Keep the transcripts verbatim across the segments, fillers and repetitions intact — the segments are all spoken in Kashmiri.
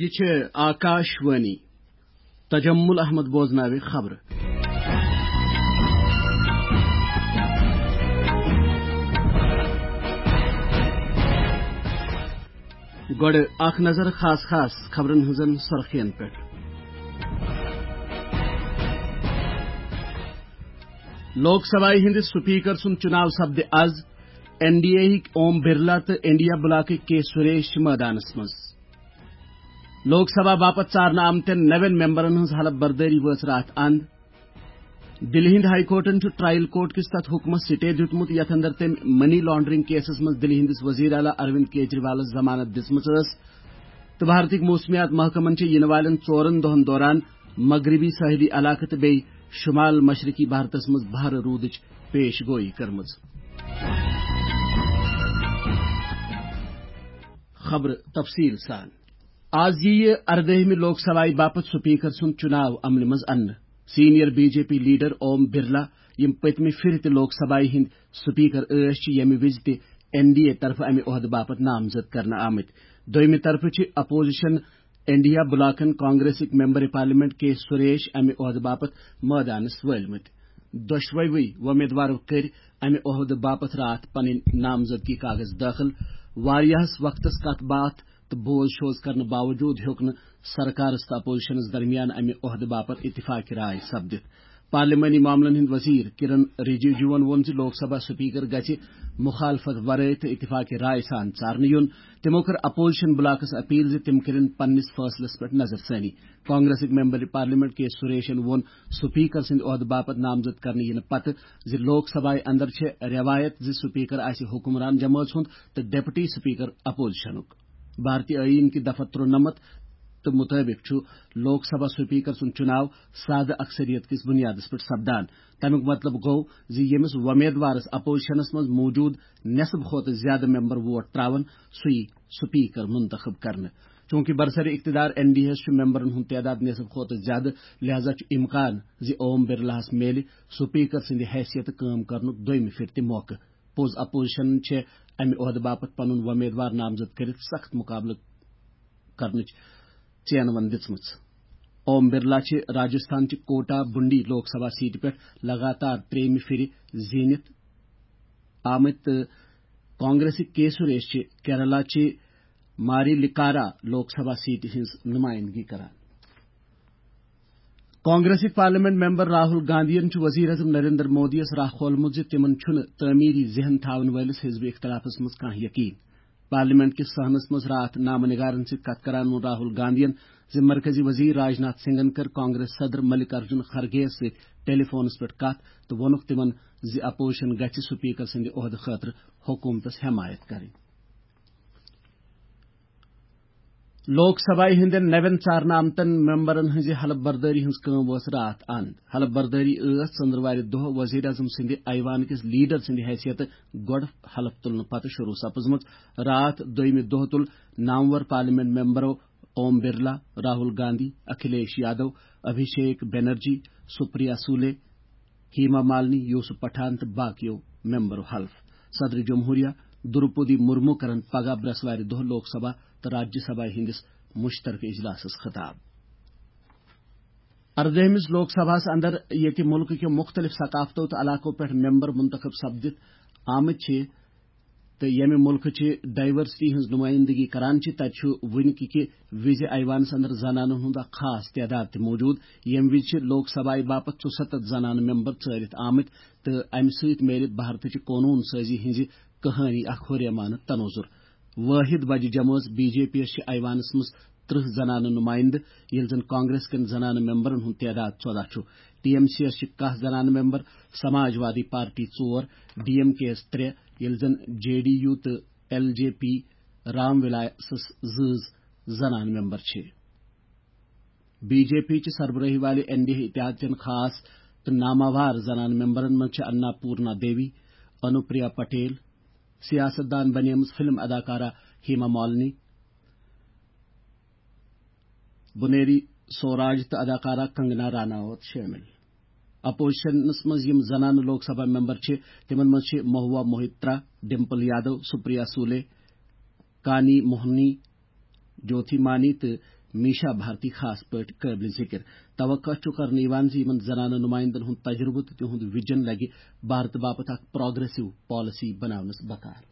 یہِ چھِ آکاش وانی۔ تجمل احمد بوزناوِ خبرٕ۔ گۄڈٕ اکھ نظر خاص خاص خبرن ہٕنٛزن سرخین پٮ۪ٹھ۔ لوک سبھایہِ ہٕنٛدِ سپیکر سُنٛد چُناو سپدِ از۔ این ڈی اے ہٕکۍ اوم برلا تہٕ انڈیا بلاکٕکۍ کے سریش چھِ مٲدانس منٛز۔ لوک سبھا باپتھ ژارنہٕ آمتٮ۪ن نوٮ۪ن ممبرن ہٕنٛز حلف بردٲری وٲژ راتھ اند۔ دِلہِ ہٕنٛدِ ہائی کورٹن چھُ ٹرائل کورٹ کِس تتھ حُکمس سٹے دیُتمُت، یتھ اندر تٔمۍ منی لانڈرنگ کیسس منٛز دِلہِ ہٕنٛدِس وزیر اعلیٰ اروند کیجریوالس ضمانت دِژمٕژ ٲس۔ تہٕ بھارتٕکۍ موسمیات محکمن چھِ یِنہٕ والٮ۪ن ژورن دۄہن دوران مغربی ساحلی علاقہٕ تہٕ بیٚیہِ شمال مشرقی بھارتس منٛز بھارٕ روٗدٕچ پیش گویی کٔرمٕژ۔ خبرٕ تفصیٖل سان۔ آز یِیہِ اردٲہمہِ لوک سبھایہِ باپتھ سپیکر سُنٛد چُناو عملہِ منٛز اننہٕ۔ Senior B J P leader Om Birla, یِم پٔتمہِ پھِرِ تہِ لوک سبھایہِ ہٕنٛدۍ سپیکر ٲسۍ، چھِ ییٚمہِ وِزِ تہِ این ڈی اے طرفہٕ امہِ عہدٕ باپتھ نامزد کرنہٕ آمٕتۍ۔ دوٚیمہِ طرفہٕ چھِ اپوزیشن انڈیا بلاکن کانگریسٕکۍ ممبر پارلیمنٹ کے سریش امہِ عہدٕ باپتھ مٲدانس وٲلمٕتۍ۔ دۄشوٕے وۄمیدوارو کٔرۍ امہِ عہدٕ باپتھ راتھ پنٕنۍ نامزدگی کاغذ دٲخل۔ واریاہس وقتس کتھ باتھ تہٕ بوز شوز کرنہٕ باوجود ہیوٚک نہٕ سرکارس تہٕ اپوزیشنس درمیان امہِ عہدٕ باپتھ اتفاق رائے سپدِتھ۔ پارلیمانی معاملن ہٕنٛدۍ وزیر کرن رجیجوَن ووٚن زِ لوک سبھا سپیکر گژھِ مخالفت ورٲے تہٕ اتفاق رائے سان ژارنہٕ یُن۔ تِمو کٔر اپوزیشن بلاکس اپیل زِ تِم کٔرِن پننِس فٲصلس پٮ۪ٹھ نظر ثٲنی۔ کانگریسٕکۍ ممبر پارلیمنٹ کے سریشن ووٚن سپیکر سٕنٛدِ عہدٕ باپتھ نامزد کرنہٕ یِنہٕ پتہٕ زِ لوک سبھایہِ اندر چھےٚ رٮ۪وایت زِ سپیکر آسہِ حکمران جمٲژ ہُنٛد تہٕ ڈپٹی سپیکر اپوزیشنُک۔ بھارتی ٲییٖن کہِ دفعہ ترُنَمتھ تہٕ مُطٲبِق چھُ لوک سبھا سپیکر سُنٛد چُناو سادٕ اکثریت کِس بُنیادس پٮ۪ٹھ سپدان۔ تَمیُک مطلب گوٚو زِ ییٚمِس وۄمیدوارس اپوزیشنس منٛز موٗجوٗد نٮ۪صٕف کھۄتہٕ زیادٕ ممبر ووٹ ترٛاوَن، سُہ یی سپیکر منتخب کرنہٕ۔ چوٗنٛکہِ برسر اقتدار این ڈی اے ہَس چھُ ممبرن ہُنٛد تعداد نٮ۪صٕف کھۄتہٕ زیادٕ، لہذا چھُ امکان زِ اوم برلاہَس میلہِ سپیکر سٕنٛدِ حیثیتہٕ کٲم کرنُک دوٚیمہِ پھِرِ تہِ موقعہٕ۔ پوٚز اپوزیشنن چھےٚ امہِ عہدٕ باپتھ پنُن وۄمیدوار نامزد کٔرِتھ سخت مقابلہٕ کرنٕچ ژینوَن دِژمٕژ۔ اوم برلا چھِ راجستھان چہِ کوٹا بُنڈی لوک سبھا سیٹہِ پٮ۪ٹھ لگاتار ترٛیٚیِمہِ پھِرِ زیٖنِتھ آمٕتۍ تہٕ کانگریسٕکۍ کے سریش چھِ کیرلا چہِ ماریلکارا لوک سبھا سیٹہِ ہٕنٛز نُمٲیِندگی کران۔ کانگریسٕکۍ پارلیمنٹ ممبر راہل گاندھین چھُ وزیر اعظم نریندر مودیَس راہ کھولمُت زِ تِمَن چھُنہٕ تعمیری ذہن تھاون وٲلِس حزب اختلافس منٛز کانٛہہ یقین۔ پارلیمنٹ کِس صحنس منٛز راتھ نامہٕ نگارن سۭتۍ کتھ کران ووٚن راہل گاندھین زِ مرکزی وزیر راجناتھ سنگھن کٔر کانگریس صدر ملک ارجن خرگے یَس سۭتۍ ٹیلی فونس پٮ۪ٹھ کتھ تہٕ ووٚنُکھ تِمَن زِ اپوزیشن گژھِ سپیکر سٕنٛدِ عہدٕ خٲطرٕ حکومتس حمایت کرٕنۍ۔ لوک سبھایہِ ہٕنٛدٮ۪ن نوٮ۪ن ژارنہٕ آمتن ممبرن ہٕنٛزِ حلف بردٲری ہٕنٛز کٲم وٲژ راتھ اند۔ حلف بردٲری ٲس ژٔنٛدٕروارِ دۄہ وزیر اعظم سٕنٛدِ ایوان کِس لیڈر سٕنٛدِ حیثیتہٕ گۄڈٕ حلف تُلنہٕ پتہٕ شروع سپٕزمٕژ۔ راتھ دوٚیمہِ دۄہ تُل نامور پارلیمنٹ ممبرو اوم برلا، راہل گاندھی، اکھلیش یادو، ابھیشیک بنرجی، سپریا سولے، ہیما مالنی، یوسف پٹھان تہٕ باقیو ممبرو حلف۔ صدر جمہوریہ دروپدی مرمو کرن پگاہ برسوارِ دۄہ لوک سبھا تہٕ راجیہ سبھا ہٕنٛدِس مشترکہٕ اجلاسس خطاب۔ اردٲہمِس لوک سبھاہس اندر ییٚتہِ مُلکہٕ کیو مُختلف ثقافتو تہٕ علاقو پٮ۪ٹھ ممبر منتخب سپدِتھ آمٕتۍ چھِ، تہٕ ییٚمہِ مُلکہٕ چہِ ڈائیورسٹی ہٕنٛز نُمٲیِندگی کران چھِ، تَتہِ چھُ وٕنہِ کہِ کہِ وِزِ ایوانَس اندر زنانَن ہُنٛد اکھ خاص تعداد تہِ موٗجوٗد، ییٚمہِ وِزِ چھِ لوک سبھایہِ باپتھ ژُسَتتھ زنانہٕ ممبر ژٲرِتھ آمٕتۍ تہٕ اَمہِ سۭتۍ میلہِ بھارتٕچہِ قونوٗن سٲزی ہٕنٛزِ کہانی اکھ ہُریمانہٕ تنوظر۔ وٲحد وجہ جمٲژ بی جے پی یَس چھِ ایوانَس منٛز ترٕٛہ زنانہٕ نُمٲیِندٕ، ییٚلہِ زن کانگریس کٮ۪ن زنانہٕ ممبرن ہُنٛد تعداد ژۄداہ چھُ۔ ٹی ایم سی یَس چھِ کاہ زنانہٕ ممبر، سماج وادی پارٹی ژور، ڈی ایم کے یَس ترٛےٚ، ییٚلہِ زن جے ڈی یو تہٕ ایل جے پی رام وِلاسس زٕ زنانہٕ ممبر چھِ۔ بی جے پی چہِ سربرٲہی والہِ این ڈی اے اتحاد چٮ۪ن خاص تہٕ ناماوار زنانہٕ ممبرن منٛز چھِ انا پورنا دیوی، انوپریا پٹیل، سیاست دان بنیمٕژ فلم اداکارہ ہیما مالنی، بنیری سوراج تہٕ اداکارہ کنگنا راناوت شٲمِل۔ اپوزیشنس منٛز یِم زنانہٕ لوک سبھا ممبر چھِ، تِمن منٛز چھِ مہوا موہترا، ڈمپل یادو، سپریا سولے، کانی موہنی، جوتھی مانی تہٕ میشا بھارتی خاص پٲٹھۍ قٲبلِ ذِکِر۔ توقع چھُ کرنہٕ یِوان زِ یِمَن زنانہٕ نُمٲیِندَن ہُنٛد تجرُبہٕ تہٕ تِہُنٛد وِجن لَگہِ بھارتہٕ باپتھ اکھ پروگریسو پالیسی بناونَس بکار۔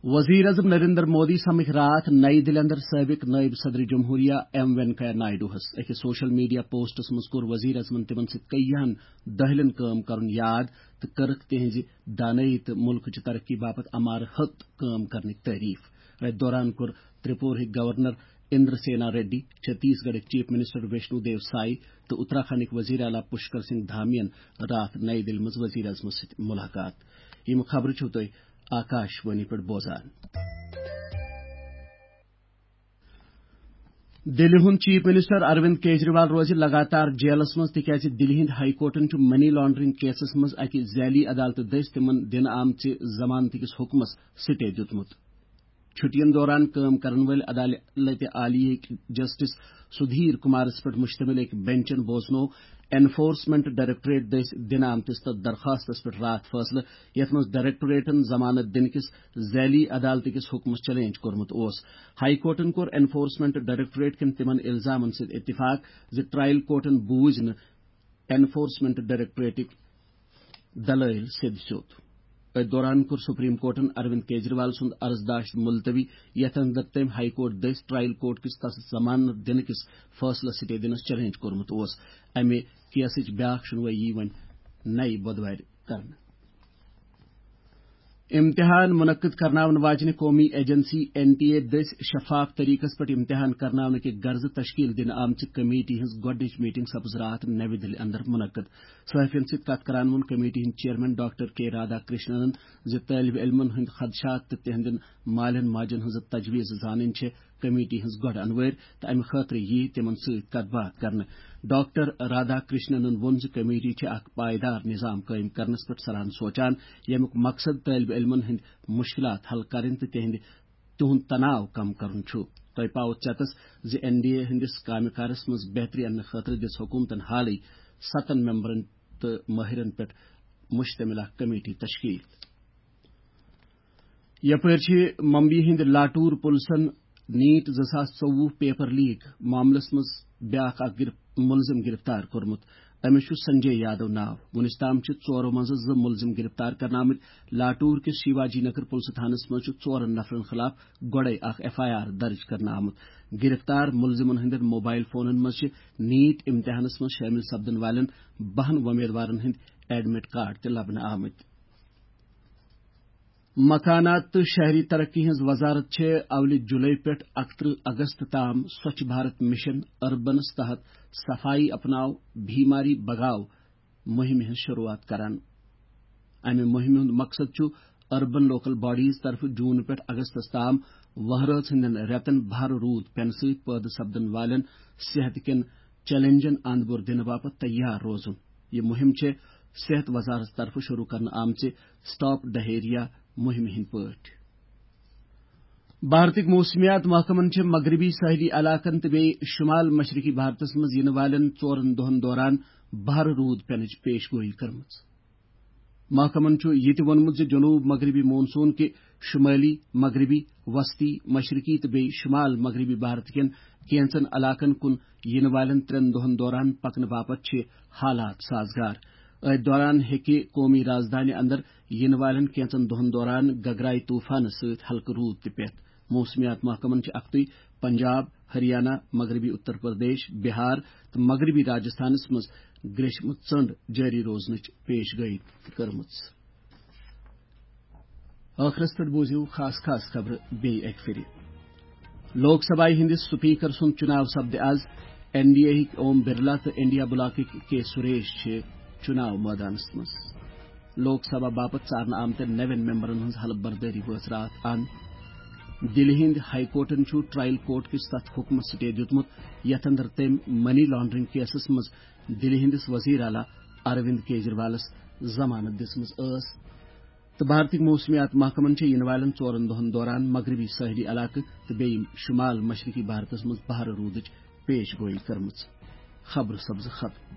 وزیر اعظم نریندر مودی سمکھ راتھ نئی دِلہِ اندر سٲبق نائب صدر جمہوریہ ایم وینکیا نائیڈوہس۔ أکِس سوشل میڈیا پوسٹس منٛز کوٚر وزیر اعظمن تِمن سۭتۍ کئیہن دٔہلٮ۪ن کٲم کرُن یاد تہٕ کٔرٕکھ تِہنٛزِ دانٲیی تہٕ مُلکٕچہِ ترقی باپتھ امارٕ ہت کٲم کرنٕچ تعریف۔ أتھۍ دوران کوٚر ترپورہٕکۍ گورنر اندر سینا ریڈی، چھتیس گڑھٕکۍ چیف منسٹر ویشنو دیو سائی تہٕ اتراکھنڈٕکۍ وزیر اعلیٰ پشکر سنگھ دھامیَن راتھ نئی دِلہِ منٛز وزیر اعظمس سۭتۍ ملاقات۔ یِم خبرٕ چھِو تُہۍ آکاش وانی پٮ۪ٹھ بوزان۔ دِلہِ ہُنٛد چیف منسٹر اروند کیجریوال روزِ لگاتار جیلس منٛز، تِکیازِ دِلہِ ہٕنٛدۍ ہائی کورٹَن چھُ منی لانڈرنگ کیسَس منٛز اَکہِ ذیلی عدالتہٕ دٔسۍ تِمَن دِنہٕ آمژِ ضمانتہٕ کِس حُکمَس سٹے دیُتمُت۔ چھُٹیَن دوران کٲم کرن وٲلۍ عدالتِ عالیہ ہٕکۍ جسٹس سدھیر کمارَس پٮ۪ٹھ مشتمل أکۍ بینچَن بوزنوو انفورسمنٹ ڈائریکٹوریٹ دٔسۍ دِنہٕ آمتِس تَتھ درخواستَس پٮ۪ٹھ راتھ فٲصلہٕ، یَتھ منٛز ڈائریکٹوریٹَن ضمانت دِنہٕ کِس ذیلی عدالتہٕ کِس حُکمَس چیلنج کوٚرمُت اوس۔ ہائی کورٹَن کوٚر انفورسمنٹ ڈائریکٹوریٹ کٮ۪ن تِمَن الزامَن سۭتۍ اتفاق زِ ٹرائل کورٹَن بوٗز نہٕ انفورسمنٹ ڈائریکٹوریٹٕکۍ دلٲیل سیٚد سیوٚد۔ أتھۍ دوران کوٚر سپریم کورٹَن اروند کیجریوال سُنٛد عرضداشت ملتوی، یَتھ اندر تٔمۍ ہائی کورٹ دٔسۍ ٹرائل کورٹ کِس تَس ضمانت دِنہٕ کِس فٲصلَس سٹے دِنَس چیلنج کوٚرمُت اوس۔ اَمہِ کیسٕچ بیٛاکھ شُنوٲیی وۄنۍ نَیہِ بۄدوارِ کرنہٕ۔ امتحان منعقد کرناون واجنہِ قومی ایجنسی این ٹی اے دٔسۍ شفاف طریقس پٮ۪ٹھ امتحان کرناونہٕ کہِ غرضہٕ تشکیل دِنہٕ آمژِ کمیٹی ہٕنٛز گۄڈٕنِچ میٹنگ سپٕز راتھ نَوِ دِلہِ اندر منعقد۔ صحافین سۭتۍ کتھ کران ووٚن کمیٹی ہٕنٛدۍ چیئرمین ڈاکٹر کے رادھا کرشننن زِ طٲلبِ علمن ہٕنٛدۍ خدشات تہٕ تِہنٛدٮ۪ن مالٮ۪ن ماجن ہٕنٛز تجویز زانٕنۍ چھِ کمیٹی ہٕنٛز گۄڈٕ انوٲرۍ تہٕ امہِ خٲطرٕ ییہِ تِمن سۭتۍ کتھ باتھ کرنہٕ۔ ڈاکٹر رادھا کرشننن ووٚن زِ کمیٹی چھِ اکھ پائیدار نظام قٲیِم کرنس پٮ۪ٹھ سلان سونچان، ییٚمیُک مقصد طٲلبِ علمن ہٕنٛدۍ مشکلات حل کرٕنۍ تہٕ تِہنٛدِ تِہُنٛد تناو کم کرُن چھُ۔ تۄہہِ پاوٕ ژیتس زِ این ڈی اے ہٕنٛدِس کامہِ کارس منٛز بہتری اننہٕ خٲطرٕ دِژ حکومتن حالٕے ستن ممبرن تہٕ مٲہرن پٮ۪ٹھ مشتمل اکھ کمیٹی تشکیل۔ یپٲرۍ چھِ ممبیہِ ہٕنٛدِ لاٹور پُلسن نیٹ زٕ ساس ژوٚوُہ پیپر لیک معاملس منٛز بیٛاکھ اکھ گرف-، مُلزِم گرفتار کوٚرمُت۔ أمِس چھُ سنجے یادو ناو۔ وُنِس تام چھِ ژورو منٛزٕ زٕ مُلزِم گرفتار کرنہٕ آمٕتۍ۔ لاٹور کِس شیواجی نگر پُلسہٕ تھانس منٛز چھُ ژورن نفرن خلاف گۄڈَے اکھ ایف آئی آر درج کرنہٕ آمُت۔ گرفتار مُلزِمن ہٕنٛدٮ۪ن موبائل فونن منٛز چھِ نیٹ امتحانس منٛز شٲمِل سپدن والٮ۪ن بَہَن وۄمیدوارن ہٕنٛدۍ ایڈمٹ کارڈ تہِ لبنہٕ آمٕتۍ۔ مکانات تہٕ شہری ترقی ہٕنٛز وزارت چھےٚ اولہِ جُلے پٮ۪ٹھ اَکترٕہ اگست تام سوچھ بھارت مشن اربنس تحت صفائی اپناو، بیماری بگاو مُہِمہِ ہٕنٛز شروٗعات کران۔ امہِ مُہِمہِ ہُنٛد مقصد چھُ اربن لوکل باڈیز طرفہٕ جون پٮ۪ٹھ اگستس تام وہرٲژ ہٕنٛدٮ۪ن رٮ۪تن بھر روٗد پینہٕ سۭتۍ پٲدٕ سپدن والٮ۪ن صحت کٮ۪ن چیلنجن اند بور دِنہٕ باپتھ تیار روزُن۔ یہِ مُہِم چھےٚ صحت وزارت طرفہٕ شروٗع کرنہٕ آمژِ سٹاپ ڈہیریا مُہِمہِ ہٕنٛدۍ پٲٹھۍ۔ بھارتٕکۍ موسمیات محکمن چھِ مغربی ساحلی علاقن تہٕ بیٚیہِ شمال مشرقی بھارتس منٛز یِنہٕ والٮ۪ن ژورن دۄہن دوران بھر روٗد پینٕچ پیش گویی کٔرمٕژ۔ محکمن چھُ یہِ تہِ ووٚنمُت زِ جنوب مغربی مون سون کہِ شمٲلی، مغربی، وسطی، مشرقی تہٕ بیٚیہِ شمال مغربی بھارت کٮ۪ن کینٛژن علاقن کُن یِنہٕ والٮ۪ن ترٛٮ۪ن دۄہن دوران پکنہٕ باپتھ چھِ حالات سازگار۔ أتھۍ دوران ہیٚکہِ قومی رازدانہِ اندر یِنہٕ والٮ۪ن کینٛژن دۄہن دوران گگرائی طوفانہٕ سۭتۍ ہلکہٕ روٗد تہِ پٮ۪تھ۔ موسمیات محکمن چھِ اکھتُے پنجاب، ہریانہ، مغربی اتر پردیش، بہار تہٕ مغربی راجستھانس منٛز گریشمہٕ ژٔنٛڈ جٲری روزنٕچ پیش گویی تہِ کٔرمٕژ۔ ٲخرس پٮ۪ٹھ بوٗزِو خاص خاص خبرٕ بیٚیہِ اکہِ پھِرِ۔ لوک سبھایہِ ہٕنٛدِس سپیکر سُنٛد چُناو سپدِ از۔ این ڈی اے ہٕکۍ اوم برلا تہٕ انڈیا بلاکٕکۍ کے سریش چھِ چُناو مٲدانس منٛز۔ لوک سبھا باپتھ ژارنہٕ آمتٮ۪ن نوٮ۪ن ممبرن ہٕنٛز حلف بردٲری وٲژ راتھ اند۔ دِلہِ ہٕنٛدِ ہائی کورٹن چھُ ٹرائل کورٹ کِس تتھ حُکمس سٹے دیُتمُت، یتھ اندر تٔمۍ منی لانڈرنگ کیسس منٛز دِلہِ ہٕنٛدِس وزیر اعلیٰ اروند کیجریوالس ضمانت دِژمٕژ ٲس۔ تہٕ بھارتٕکۍ موسمیات محکمن چھےٚ یِنہٕ والٮ۪ن ژورن دۄہن دوران مغربی ساحلی علاقہٕ تہٕ بیٚیہِ شمال مشرقی بھارتس منٛز بھارٕ روٗدٕچ پیش گویی کٔرمٕژ۔ خبرٕ سپزٕ ختم۔